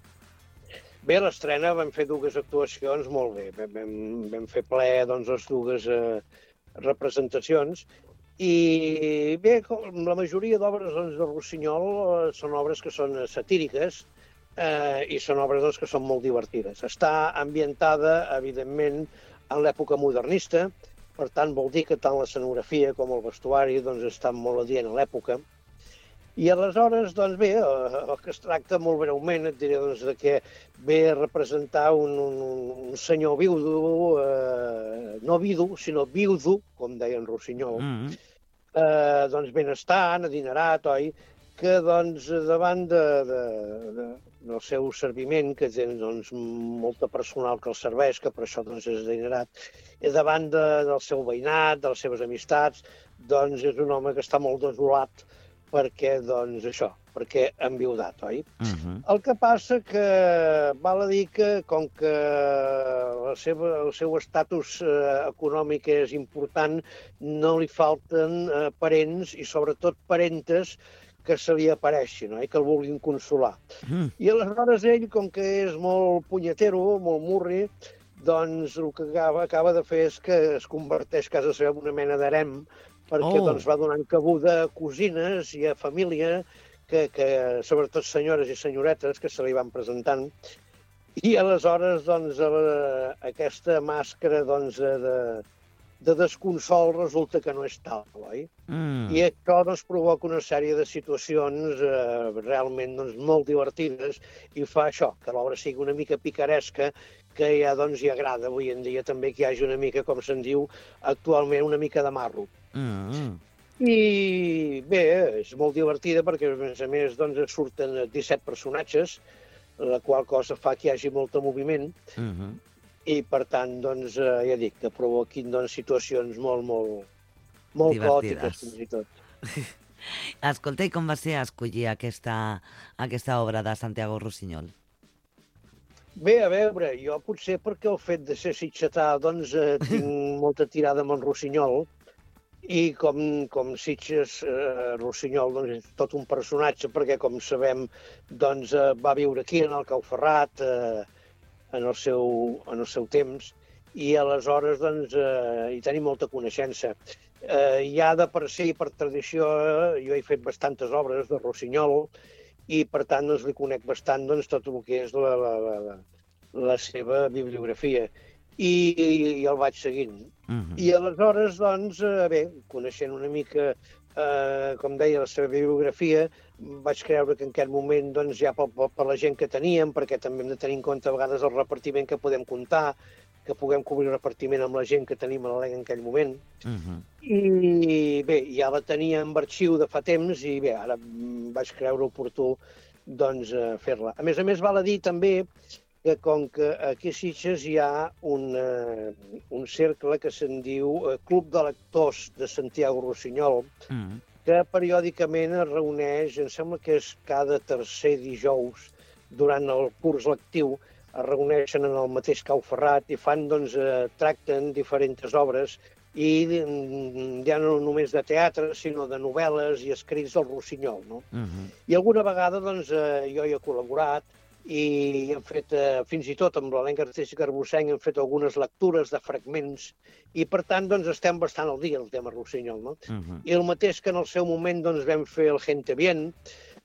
Bé, l'estrena vam fer dues actuacions molt bé. Vam, vam, vam fer ple doncs, les dues eh, representacions. I bé, com la majoria d'obres doncs, de Rossinyol eh, són obres que són satíriques, Eh, i són obres doncs, que són molt divertides. Està ambientada, evidentment, en l'època modernista, per tant, vol dir que tant l'escenografia com el vestuari doncs, estan molt adient a l'època. I aleshores, doncs bé, el que es tracta molt breument, et diré doncs, de que ve a representar un, un, un senyor viudo, eh, no vidu, sinó viudo, com deien Rossinyol, Mm. eh, doncs benestant, adinerat, oi?, que doncs, davant de, de, de, del seu serviment, que té doncs, molta personal que el serveix, que per això doncs, és adinerat, i davant de, del seu veïnat, de les seves amistats, doncs és un home que està molt desolat perquè, doncs, això, perquè ha enviudat, oi? Uh -huh. El que passa que val a dir que, com que la seva, el seu estatus eh, econòmic és important, no li falten eh, parents i sobretot parentes que se li apareixin, no? I que el vulguin consolar. Mm. I aleshores ell, com que és molt punyetero, molt murri, doncs el que acaba, acaba de fer és que es converteix a casa seva en una mena d'harem, perquè Oh. doncs, va donant cabuda a cosines i a família, que, que sobretot senyores i senyoretes que se li van presentant. I aleshores doncs, la, aquesta màscara doncs, de, de desconsol resulta que no és tal, oi? Mm. I això doncs, provoca una sèrie de situacions eh, realment doncs, molt divertides i fa això, que l'obra sigui una mica picaresca, que ja doncs, hi agrada avui en dia també que hi hagi una mica, com se'n diu actualment, una mica de marro. Mm. I bé, és molt divertida perquè, a més a més, doncs, surten disset personatges, la qual cosa fa que hi hagi molt de moviment, Mm -hmm. i per tant, doncs, eh, ja dic, que provoquin doncs, situacions molt, molt, molt Divertides. caòtiques, fins i tot. Escolta, i com va ser escollir aquesta, aquesta obra de Santiago Rossinyol? Bé, a veure, jo potser perquè el fet de ser sitgetà, doncs, eh, tinc molta tirada amb en Rossinyol, i com, com Sitges, eh, Rossinyol, doncs, és tot un personatge, perquè, com sabem, doncs, eh, va viure aquí, en el Cauferrat, eh, en, el seu, en el seu temps, i aleshores, doncs, eh, hi tenim molta coneixença. Eh, ja de per si, per tradició, eh, jo he fet bastantes obres de Rossinyol, i, per tant, doncs, li conec bastant doncs, tot el que és la, la, la, la seva bibliografia. I, i, i el vaig seguint. Uh -huh. I aleshores, doncs, eh, bé, coneixent una mica, eh, com deia, la seva bibliografia, vaig creure que en aquest moment, doncs, ja per, per la gent que teníem, perquè també hem de tenir en compte a vegades el repartiment que podem comptar, que puguem cobrir el repartiment amb la gent que tenim a l'E L E en aquell moment. Uh -huh. I bé, ja la tenia en arxiu de fa temps i bé, ara vaig creure oportú doncs, eh, fer-la. A més a més, val a dir també que com que aquí a Sitges hi ha un, eh, un cercle que se'n diu eh, Club de Lectors de Santiago Rossinyol, Uh -huh. que periòdicament es reuneix, em sembla que és cada tercer dijous durant el curs lectiu, es reuneixen en el mateix Cauferrat i fan, doncs, eh, tracten diferents obres i ja no només de teatre, sinó de novel·les i escrits del Rossinyol, no? Uh-huh. I alguna vegada, doncs, eh, jo hi he col·laborat i hem fet, eh, fins i tot amb l'elenc artístic arbocenc, hem fet algunes lectures de fragments i, per tant, doncs, estem bastant al dia, el tema Rossinyol, no? Uh-huh. I el mateix que en el seu moment, doncs, vam fer el Gente Bien,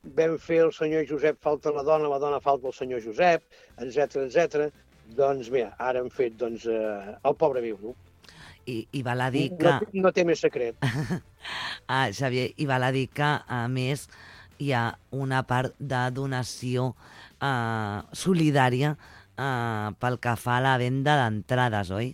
vam fer el senyor Josep falta la dona, la dona falta el senyor Josep, etcètera, etcètera. Doncs, mira, ara hem fet, doncs, eh, el pobre viu, no? I, i val a dir que... No, no té més secret. ah, Xavier, i val a dir que, a més, hi ha una part de donació eh, solidària eh, pel que fa a la venda d'entrades, oi?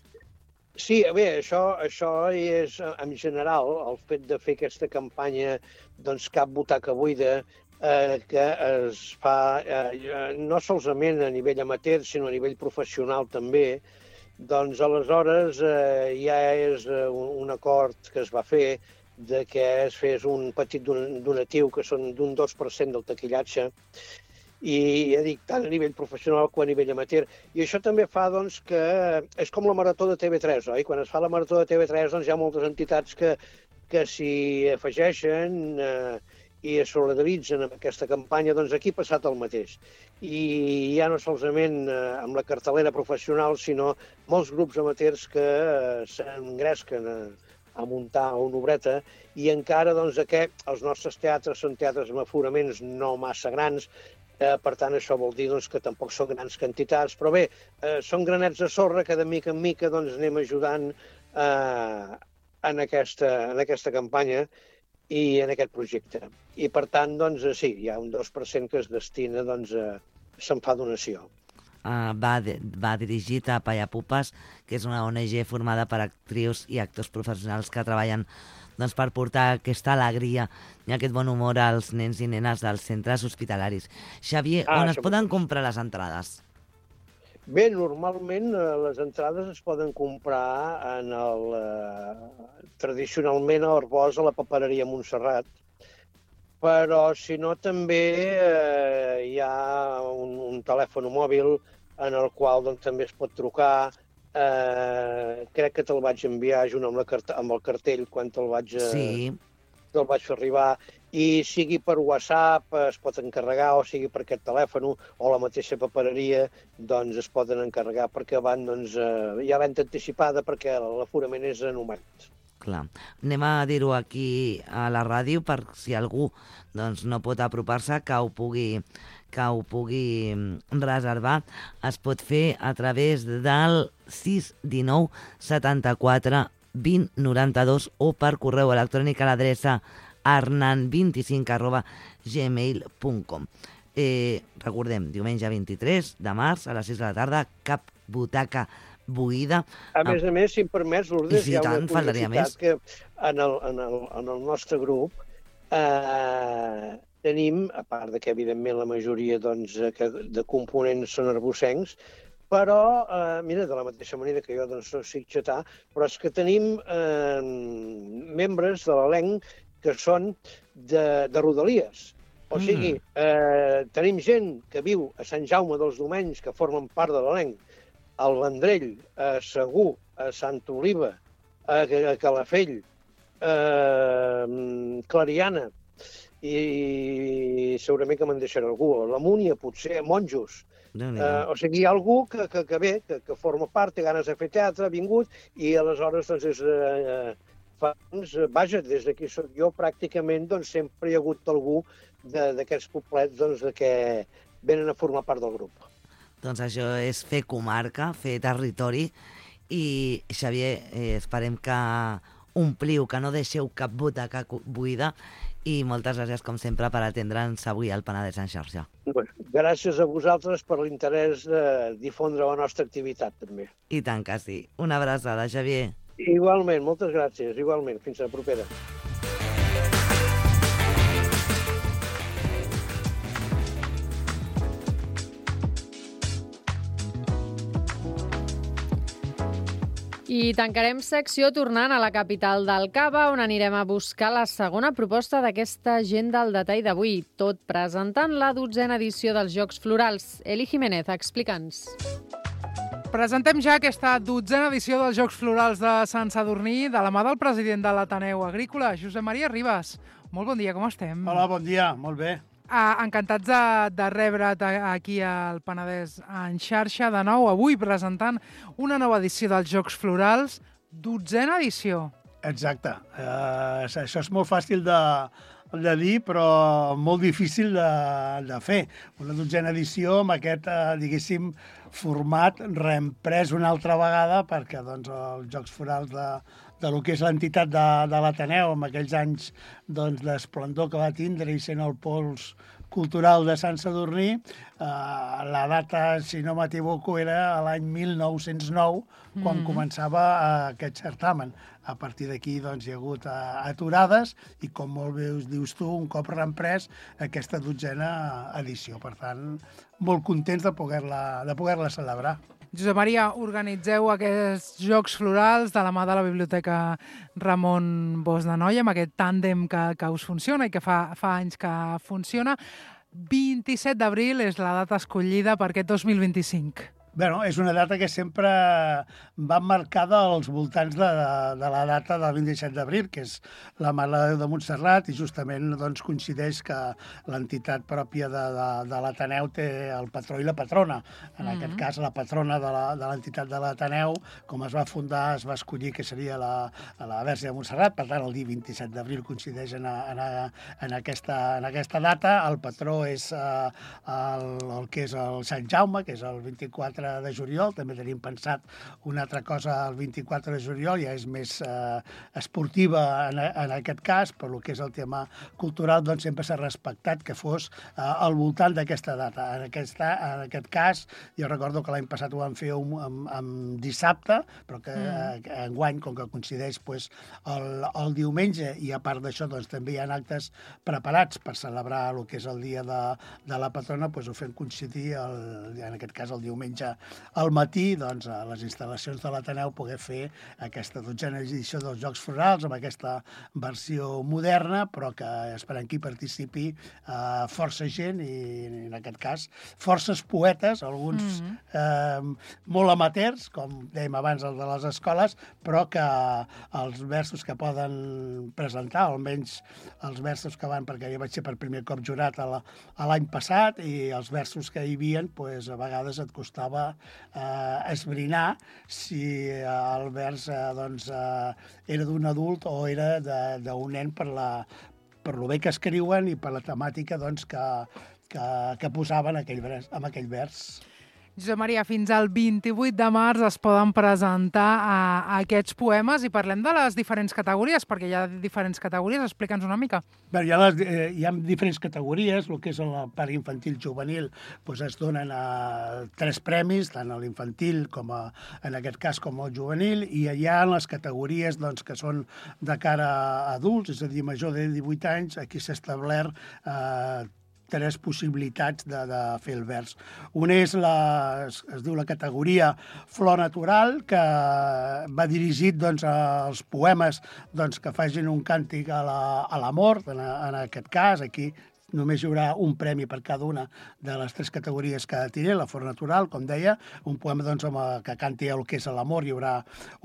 Sí, bé, això, això és, en general, el fet de fer aquesta campanya, doncs, Cap butaca buida, eh, que es fa eh, no solament a nivell amateur, sinó a nivell professional també, doncs aleshores eh, ja és un, un acord que es va fer de que es fes un petit donatiu, que són d'un dos per cent del taquillatge, i ja dic, tant a nivell professional com a nivell amateur. I això també fa, doncs, que és com la marató de T V tres, oi? Quan es fa la marató de T V tres, doncs hi ha moltes entitats que, que s'hi afegeixen eh, i es solidaritzen amb aquesta campanya, doncs aquí ha passat el mateix. I ja no solament eh, amb la cartelera professional, sinó molts grups amateurs que eh, s'engresquen a, a muntar una obreta, i encara, doncs, que els nostres teatres són teatres amb aforaments no massa grans, eh, per tant, això vol dir, doncs, que tampoc són grans quantitats, però bé, eh, són granets de sorra que de mica en mica, doncs, anem ajudant eh, en, aquesta, en aquesta campanya i en aquest projecte. I, per tant, doncs, sí, hi ha un dos per cent que es destina, doncs, a, se'n fa donació. Uh, va, de, va dirigit a Payapupes, que és una O N G formada per actrius i actors professionals que treballen, doncs, per portar aquesta alegria i aquest bon humor als nens i nenes dels centres hospitalaris. Xavier, Ah, on es això poden mateix. comprar les entrades? Bé, normalment eh, les entrades es poden comprar en el, eh, tradicionalment a Arbós, a la papereria Montserrat, però si no també eh, hi ha un, un telèfon mòbil en el qual, doncs, també es pot trucar. Eh, crec que te'l vaig enviar junt amb, la cart amb el cartell quan te'l vaig, eh, Sí. te'l vaig fer arribar, i sigui per WhatsApp es pot encarregar, o sigui per aquest telèfon o la mateixa papereria, doncs es poden encarregar perquè van, doncs, eh, hi ha venda anticipada perquè l'aforament és anumat. Clar. Anem a dir-ho aquí a la ràdio per si algú, doncs, no pot apropar-se, que ho pugui que ho pugui reservar. Es pot fer a través del sis dinou setanta-quatre vint noranta-dos o per correu electrònic a l'adreça arnan vint cinc arroba gmail punt com. Eh, recordem, diumenge vint-i-tres de març a les sis de la tarda, Cap butaca buida. A més a més, si em permets, Lourdes, I si hi ha tant, una faltaria curiositat més. que en el, en el, en el nostre grup eh, tenim, a part de que, evidentment, la majoria, doncs, eh, que de components són arbocencs, però, eh, mira, de la mateixa manera que jo, doncs, no soc xatà, però és que tenim eh, membres de l'elenc que són de, de Rodalies. O sigui, eh, tenim gent que viu a Sant Jaume dels Domenys, que formen part de l'elenc, al Vendrell, a Segur, a Santa Oliva, a Calafell, a Clariana, i segurament que me'n deixaré algú, a la Múnia, potser, a Monjos. Uh, o sigui, hi ha algú que, que, que ve, que, que forma part, té ganes de fer teatre, ha vingut, i aleshores, doncs, és, uh, fa, doncs, vaja, des d'aquí soc jo, pràcticament, doncs, sempre hi ha hagut algú d'aquests poblets, doncs, de que venen a formar part del grup. Doncs això és fer comarca, fer territori, i, Xavier, eh, esperem que ompliu, que no deixeu cap butaca buida, i moltes gràcies, com sempre, per atendre'ns avui al Penedès en xarxa. Bueno, gràcies a vosaltres per l'interès de difondre la nostra activitat, també. I tant que sí. Una abraçada, Xavier. Igualment, moltes gràcies, igualment. Fins a la propera. I tancarem secció tornant a la capital del Cava, on anirem a buscar la segona proposta d'aquesta agenda al detall d'avui, tot presentant la dotzena edició dels Jocs Florals. Eli Jiménez, explica'ns. Presentem ja aquesta dotzena edició dels Jocs Florals de Sant Sadurní de la mà del president de l'Ateneu Agrícola, Josep Maria Ribas. Molt bon dia, com estem? Hola, bon dia, molt bé. Ah, encantats de, de rebre't aquí al Penedès en xarxa de nou, avui presentant una nova edició dels Jocs Florals, dotzena edició. Exacte. Uh, això és molt fàcil de, de dir, però molt difícil de, de fer. Una dotzena edició amb aquest, uh, diguéssim, format reemprès una altra vegada perquè doncs, els Jocs Florals de, de lo que és l'entitat de, de l'Ateneu amb aquells anys doncs, d'esplendor que va tindre i sent el pols cultural de Sant Sadurní, eh, la data, si no m'equivoco, era l'any mil nou-cents nou, quan mm-hmm. començava eh, aquest certamen. A partir d'aquí doncs, hi ha hagut eh, aturades i, com molt bé us dius tu, un cop reemprès aquesta dotzena edició. Per tant, molt contents de poder-la de poder-la celebrar. Josep Maria, organitzeu aquests Jocs Florals de la mà de la Biblioteca Ramon Bosch d'Anoia, amb aquest tàndem que, que us funciona i que fa, fa anys que funciona. vint-i-set d'abril és la data escollida per aquest dos mil vint-i-cinc. Bueno, és una data que sempre va marcada als voltants de, de la data del vint-i-set d'abril, que és la Mare de Déu de Montserrat, i justament doncs, coincideix que l'entitat pròpia de, de, de l'Ateneu té el patró i la patrona. En mm-hmm. aquest cas, la patrona de l'entitat de, de l'Ateneu, com es va fundar, es va escollir que seria la, la Verge de Montserrat, per tant, el dia vint-i-set d'abril coincideix en, en, en, aquesta, en aquesta data. El patró és eh, el, el que és el Sant Jaume, que és el vint-i-quatre de juliol. També tenim pensat una altra cosa el vint-i-quatre de juliol, ja és més eh, esportiva en, en aquest cas, però el que és el tema cultural doncs sempre s'ha respectat que fos eh, al voltant d'aquesta data. En, aquesta, en aquest cas, jo recordo que l'any passat ho vam fer un, amb, amb dissabte, però que mm. eh, enguany, com que coincideix pues, el, el diumenge, i a part d'això doncs, també hi ha actes preparats per celebrar el que és el dia de, de la patrona, doncs ho fem coincidir, el, en aquest cas el diumenge al matí, doncs, a les instal·lacions de l'Ateneu poder fer aquesta dotzena edició dels Jocs Florals amb aquesta versió moderna, però que esperem que hi participi eh, força gent i, en aquest cas, forces poetes, alguns mm-hmm. eh, molt amateurs, com dèiem abans el de les escoles, però que els versos que poden presentar, almenys els versos que van, perquè jo vaig ser per primer cop jurat l'any passat, i els versos que hi havia, pues, a vegades et costava Eh, esbrinar si eh, el vers eh, doncs, eh, era d'un adult o era d'un nen per, la, per lo bé que escriuen i per la temàtica doncs, que, que, que posaven aquell vers, amb aquell vers. Josep Maria, fins al vint-i-vuit de març es poden presentar a, a aquests poemes i parlem de les diferents categories, perquè hi ha diferents categories. Explica'ns una mica. Bé, hi, ha les, eh, hi ha diferents categories. El que és la part infantil juvenil doncs es donen a tres premis, tant a l'infantil com a, en aquest cas com al juvenil, i hi ha les categories doncs, que són de cara a adults, és a dir, major de divuit anys. Aquí s'ha establert eh, tres possibilitats de, de fer el vers. Una és la, es, es diu la categoria Flor Natural, que va dirigit doncs, als poemes doncs, que facin un càntic a l'amor, la, en, en aquest cas, aquí només hi haurà un premi per cada una de les tres categories que tiré, la Flor Natural, com deia, un poema doncs, amb, que canti el que és l'amor, hi haurà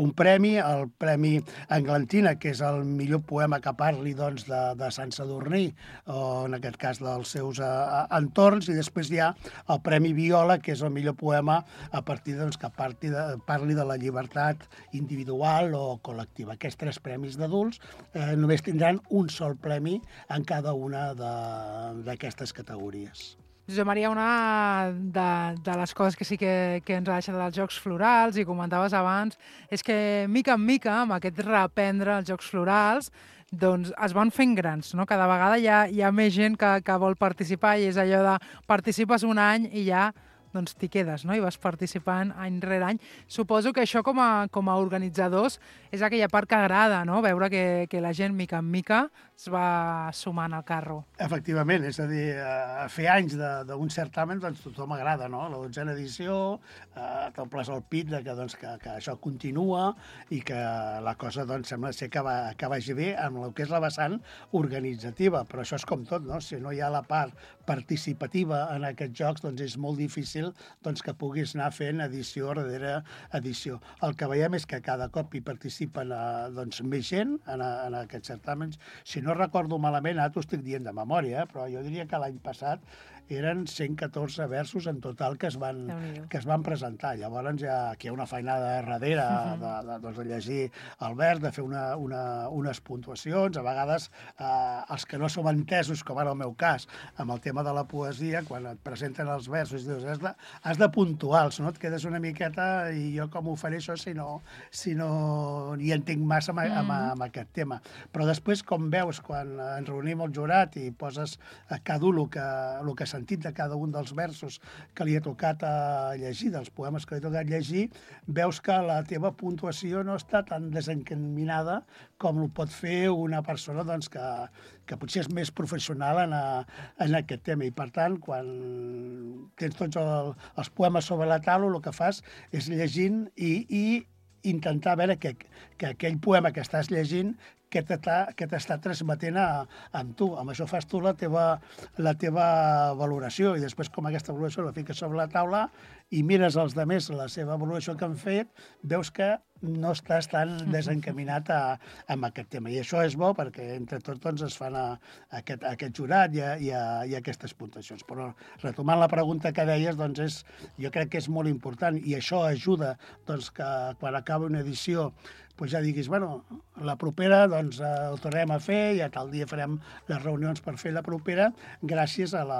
un premi, el Premi Englantina, que és el millor poema que parli doncs, de, de Sant Sadurní, o en aquest cas dels seus uh, entorns, i després hi ha el Premi Viola, que és el millor poema a partir doncs, que parli de, parli de la llibertat individual o col·lectiva. Aquests tres premis d'adults eh, només tindran un sol premi en cada una de d'aquestes categories. Josep Maria, una de, de les coses que sí que, que ens ha deixat dels Jocs Florals, i comentaves abans, és que mica en mica, amb aquest reprendre els Jocs Florals, doncs es van fent grans, no? Cada vegada hi ha, hi ha més gent que, que vol participar, i és allò de participes un any i ja doncs t'hi quedes, no? I vas participant any rere any. Suposo que això com a, com a organitzadors és aquella part que agrada, no? Veure que, que la gent mica en mica es va sumant al carro. Efectivament, és a dir, a fer anys d'un certamen doncs tothom agrada, no? La dotzena edició, eh, t'omples el pit de que, doncs, que, que això continua i que la cosa doncs, sembla ser que, va, que vagi bé amb el que és la vessant organitzativa, però això és com tot, no? Si no hi ha la part participativa en aquests jocs, doncs és molt difícil fàcil doncs, que puguis anar fent edició darrere edició. El que veiem és que cada cop hi participen eh, doncs, més gent en, a, en aquests certàmens. Si no recordo malament, ara t'ho estic dient de memòria, eh, però jo diria que l'any passat eren cent catorze versos en total que es van, que es van presentar. Llavors ja aquí hi ha una feinada darrere uh-huh. de, de, doncs, de llegir el vers, de fer una, una, unes puntuacions. A vegades eh, els que no som entesos, com ara el meu cas, amb el tema de la poesia, quan et presenten els versos, dius, has de, has de puntuar-los, no? Et quedes una miqueta i jo com ho faré això si no, si no hi entenc massa amb, amb, amb aquest tema. Però després, com veus, quan ens reunim el jurat i poses a cada un el que, el que sentit de cada un dels versos que li ha tocat a llegir, dels poemes que li ha tocat llegir, veus que la teva puntuació no està tan desencaminada com ho pot fer una persona doncs, que, que potser és més professional en, a, en aquest tema. I, per tant, quan tens tots el, els poemes sobre la taula, el que fas és llegint i, i intentar veure que, que aquell poema que estàs llegint que t'està transmetent a, amb tu. Amb això fas tu la teva, la teva valoració i després com aquesta valoració la fiques sobre la taula i mires els altres la seva valoració que han fet, veus que no estàs tan desencaminat a, amb aquest tema. I això és bo perquè entre tots doncs, es fan a, a, aquest, a aquest jurat i a, i, a, i a aquestes puntuacions. Però retomant la pregunta que deies, doncs és, jo crec que és molt important i això ajuda doncs, que quan acaba una edició doncs ja diguis, bueno, la propera doncs, eh, ho tornem a fer i a tal dia farem les reunions per fer la propera gràcies a, la,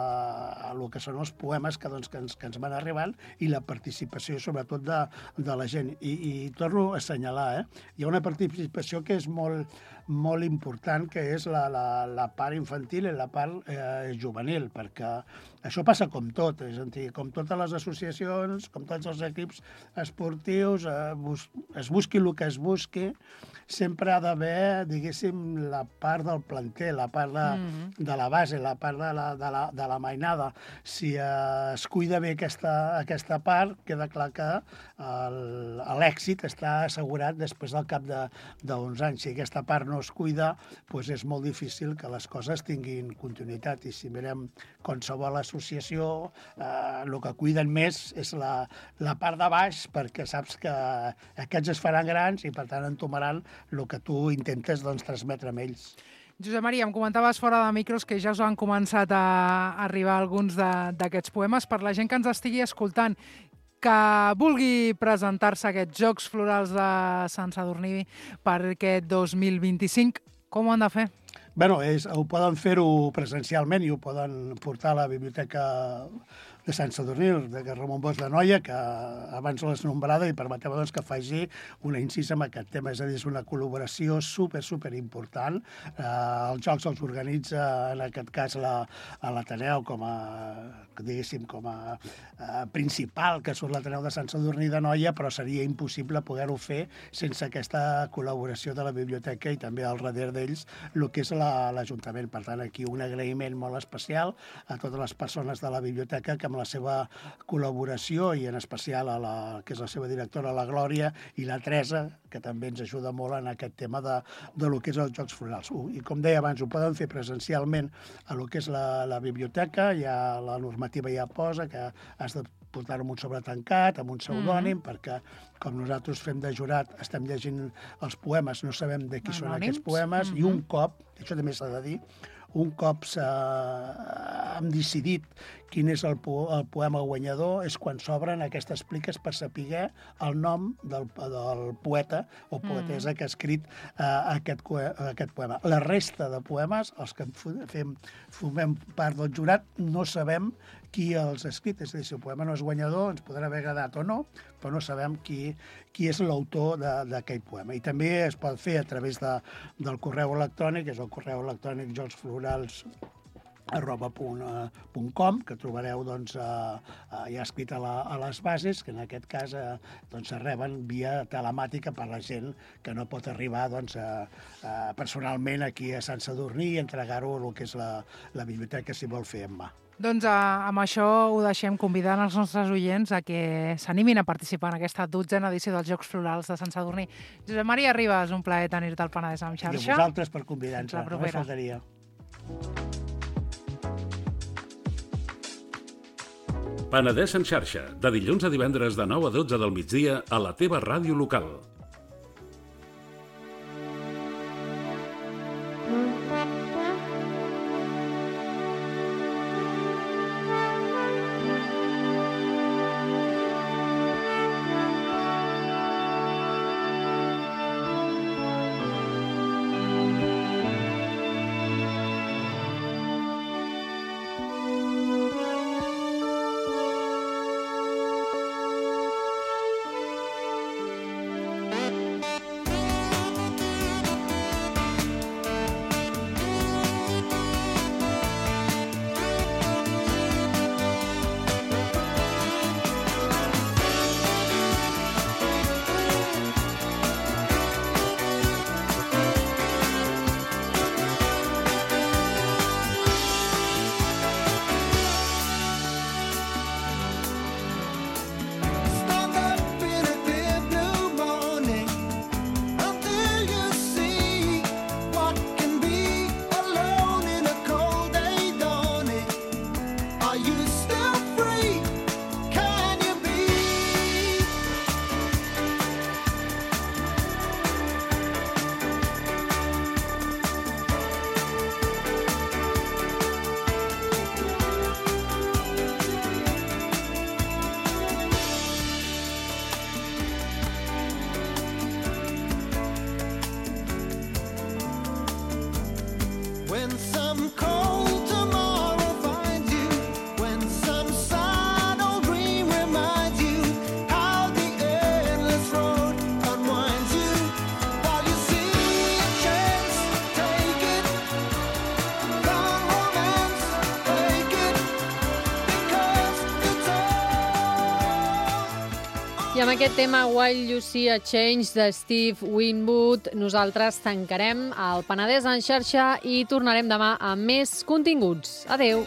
a lo que són els poemes que, doncs, que, ens, que ens van arribant i la participació sobretot de, de la gent. I, i torno a assenyalar, eh? Hi ha una participació que és molt, molt important, que és la, la, la part infantil i la part eh, juvenil, perquè això passa com tot, és a dir, com totes les associacions, com tots els equips esportius, eh, bus, es busqui el que es busqui, sempre ha d'haver, diguéssim, la part del planter, la part de, mm-hmm. de la base, la part de la, de la, de la mainada. Si eh, es cuida bé aquesta, aquesta part, queda clar que l'èxit està assegurat després del cap d'uns anys. Si aquesta part no es cuida, doncs és molt difícil que les coses tinguin continuïtat. I si mirem qualsevol associació, eh, el que cuiden més és la, la part de baix, perquè saps que aquests es faran grans i, per tant, entomaran el que tu intentes doncs, transmetre amb ells. Josep Maria, em comentaves fora de micros que ja us han començat a arribar alguns d'aquests poemes. Per la gent que ens estigui escoltant, que vulgui presentar-se a aquests Jocs Florals de Sant Sadurní per aquest dos mil vint-i-cinc, com ho han de fer? Bé, és, ho poden fer-ho presencialment i ho poden portar a la biblioteca de Sant Sadurní, de Ramon Bosch de Noia, que abans l'has nombrada i permeteu doncs, que faci una incisa amb aquest tema. És a dir, és una col·laboració super, super important. Eh, els Jocs els organitza, en aquest cas, la, a l'Ateneu com a, diguéssim, com a eh, principal, que surt l'Ateneu de Sant Sadurní de Noia, però seria impossible poder-ho fer sense aquesta col·laboració de la biblioteca i també al darrere d'ells el que és l'Ajuntament. Per tant, aquí un agraïment molt especial a totes les persones de la biblioteca que amb la seva col·laboració i en especial a la que és la seva directora, la Glòria, i la Teresa, que també ens ajuda molt en aquest tema de, de lo que és els Jocs Florals. I com deia abans, ho poden fer presencialment a lo que és la, la biblioteca, ja la normativa ja posa que has de portar-ho amb un sobre tancat, amb un pseudònim, mm. perquè com nosaltres fem de jurat, estem llegint els poemes, no sabem de qui Anònims. Són aquests poemes, mm-hmm. i un cop, això també s'ha de dir, un cop hem decidit quin és el, po el poema guanyador és quan s'obren aquestes pliques per saber el nom del, del poeta o poetessa mm. que ha escrit uh, aquest, aquest poema. La resta de poemes, els que fem, formem part del jurat, no sabem qui els ha escrit. És a dir, si el poema no és guanyador, ens podrà haver agradat o no, però no sabem qui, qui és l'autor d'aquell poema. I també es pot fer a través de, del correu electrònic, és el correu electrònic jocsflorals arroba punt com, que trobareu doncs, eh, ja escrit a, la, a les bases, que en aquest cas eh, doncs, es reben via telemàtica per la gent que no pot arribar doncs, eh, eh, personalment aquí a Sant Sadurní i entregar-ho al que és la, la biblioteca si vol fer en mà. Doncs eh, amb això ho deixem convidant els nostres oients a que s'animin a participar en aquesta dotzena edició dels Jocs Florals de Sant Sadurní. Josep Maria Ribas, un plaer tenir-te al Penedès en xarxa. I a vosaltres per convidar-nos. La propera. No faltaria. Penedès en xarxa, de dilluns a divendres de nou a dotze del migdia a la teva ràdio local. I amb aquest tema While You See a Change de Steve Winwood, nosaltres tancarem el Penedès en xarxa i tornarem demà amb més continguts. Adeu!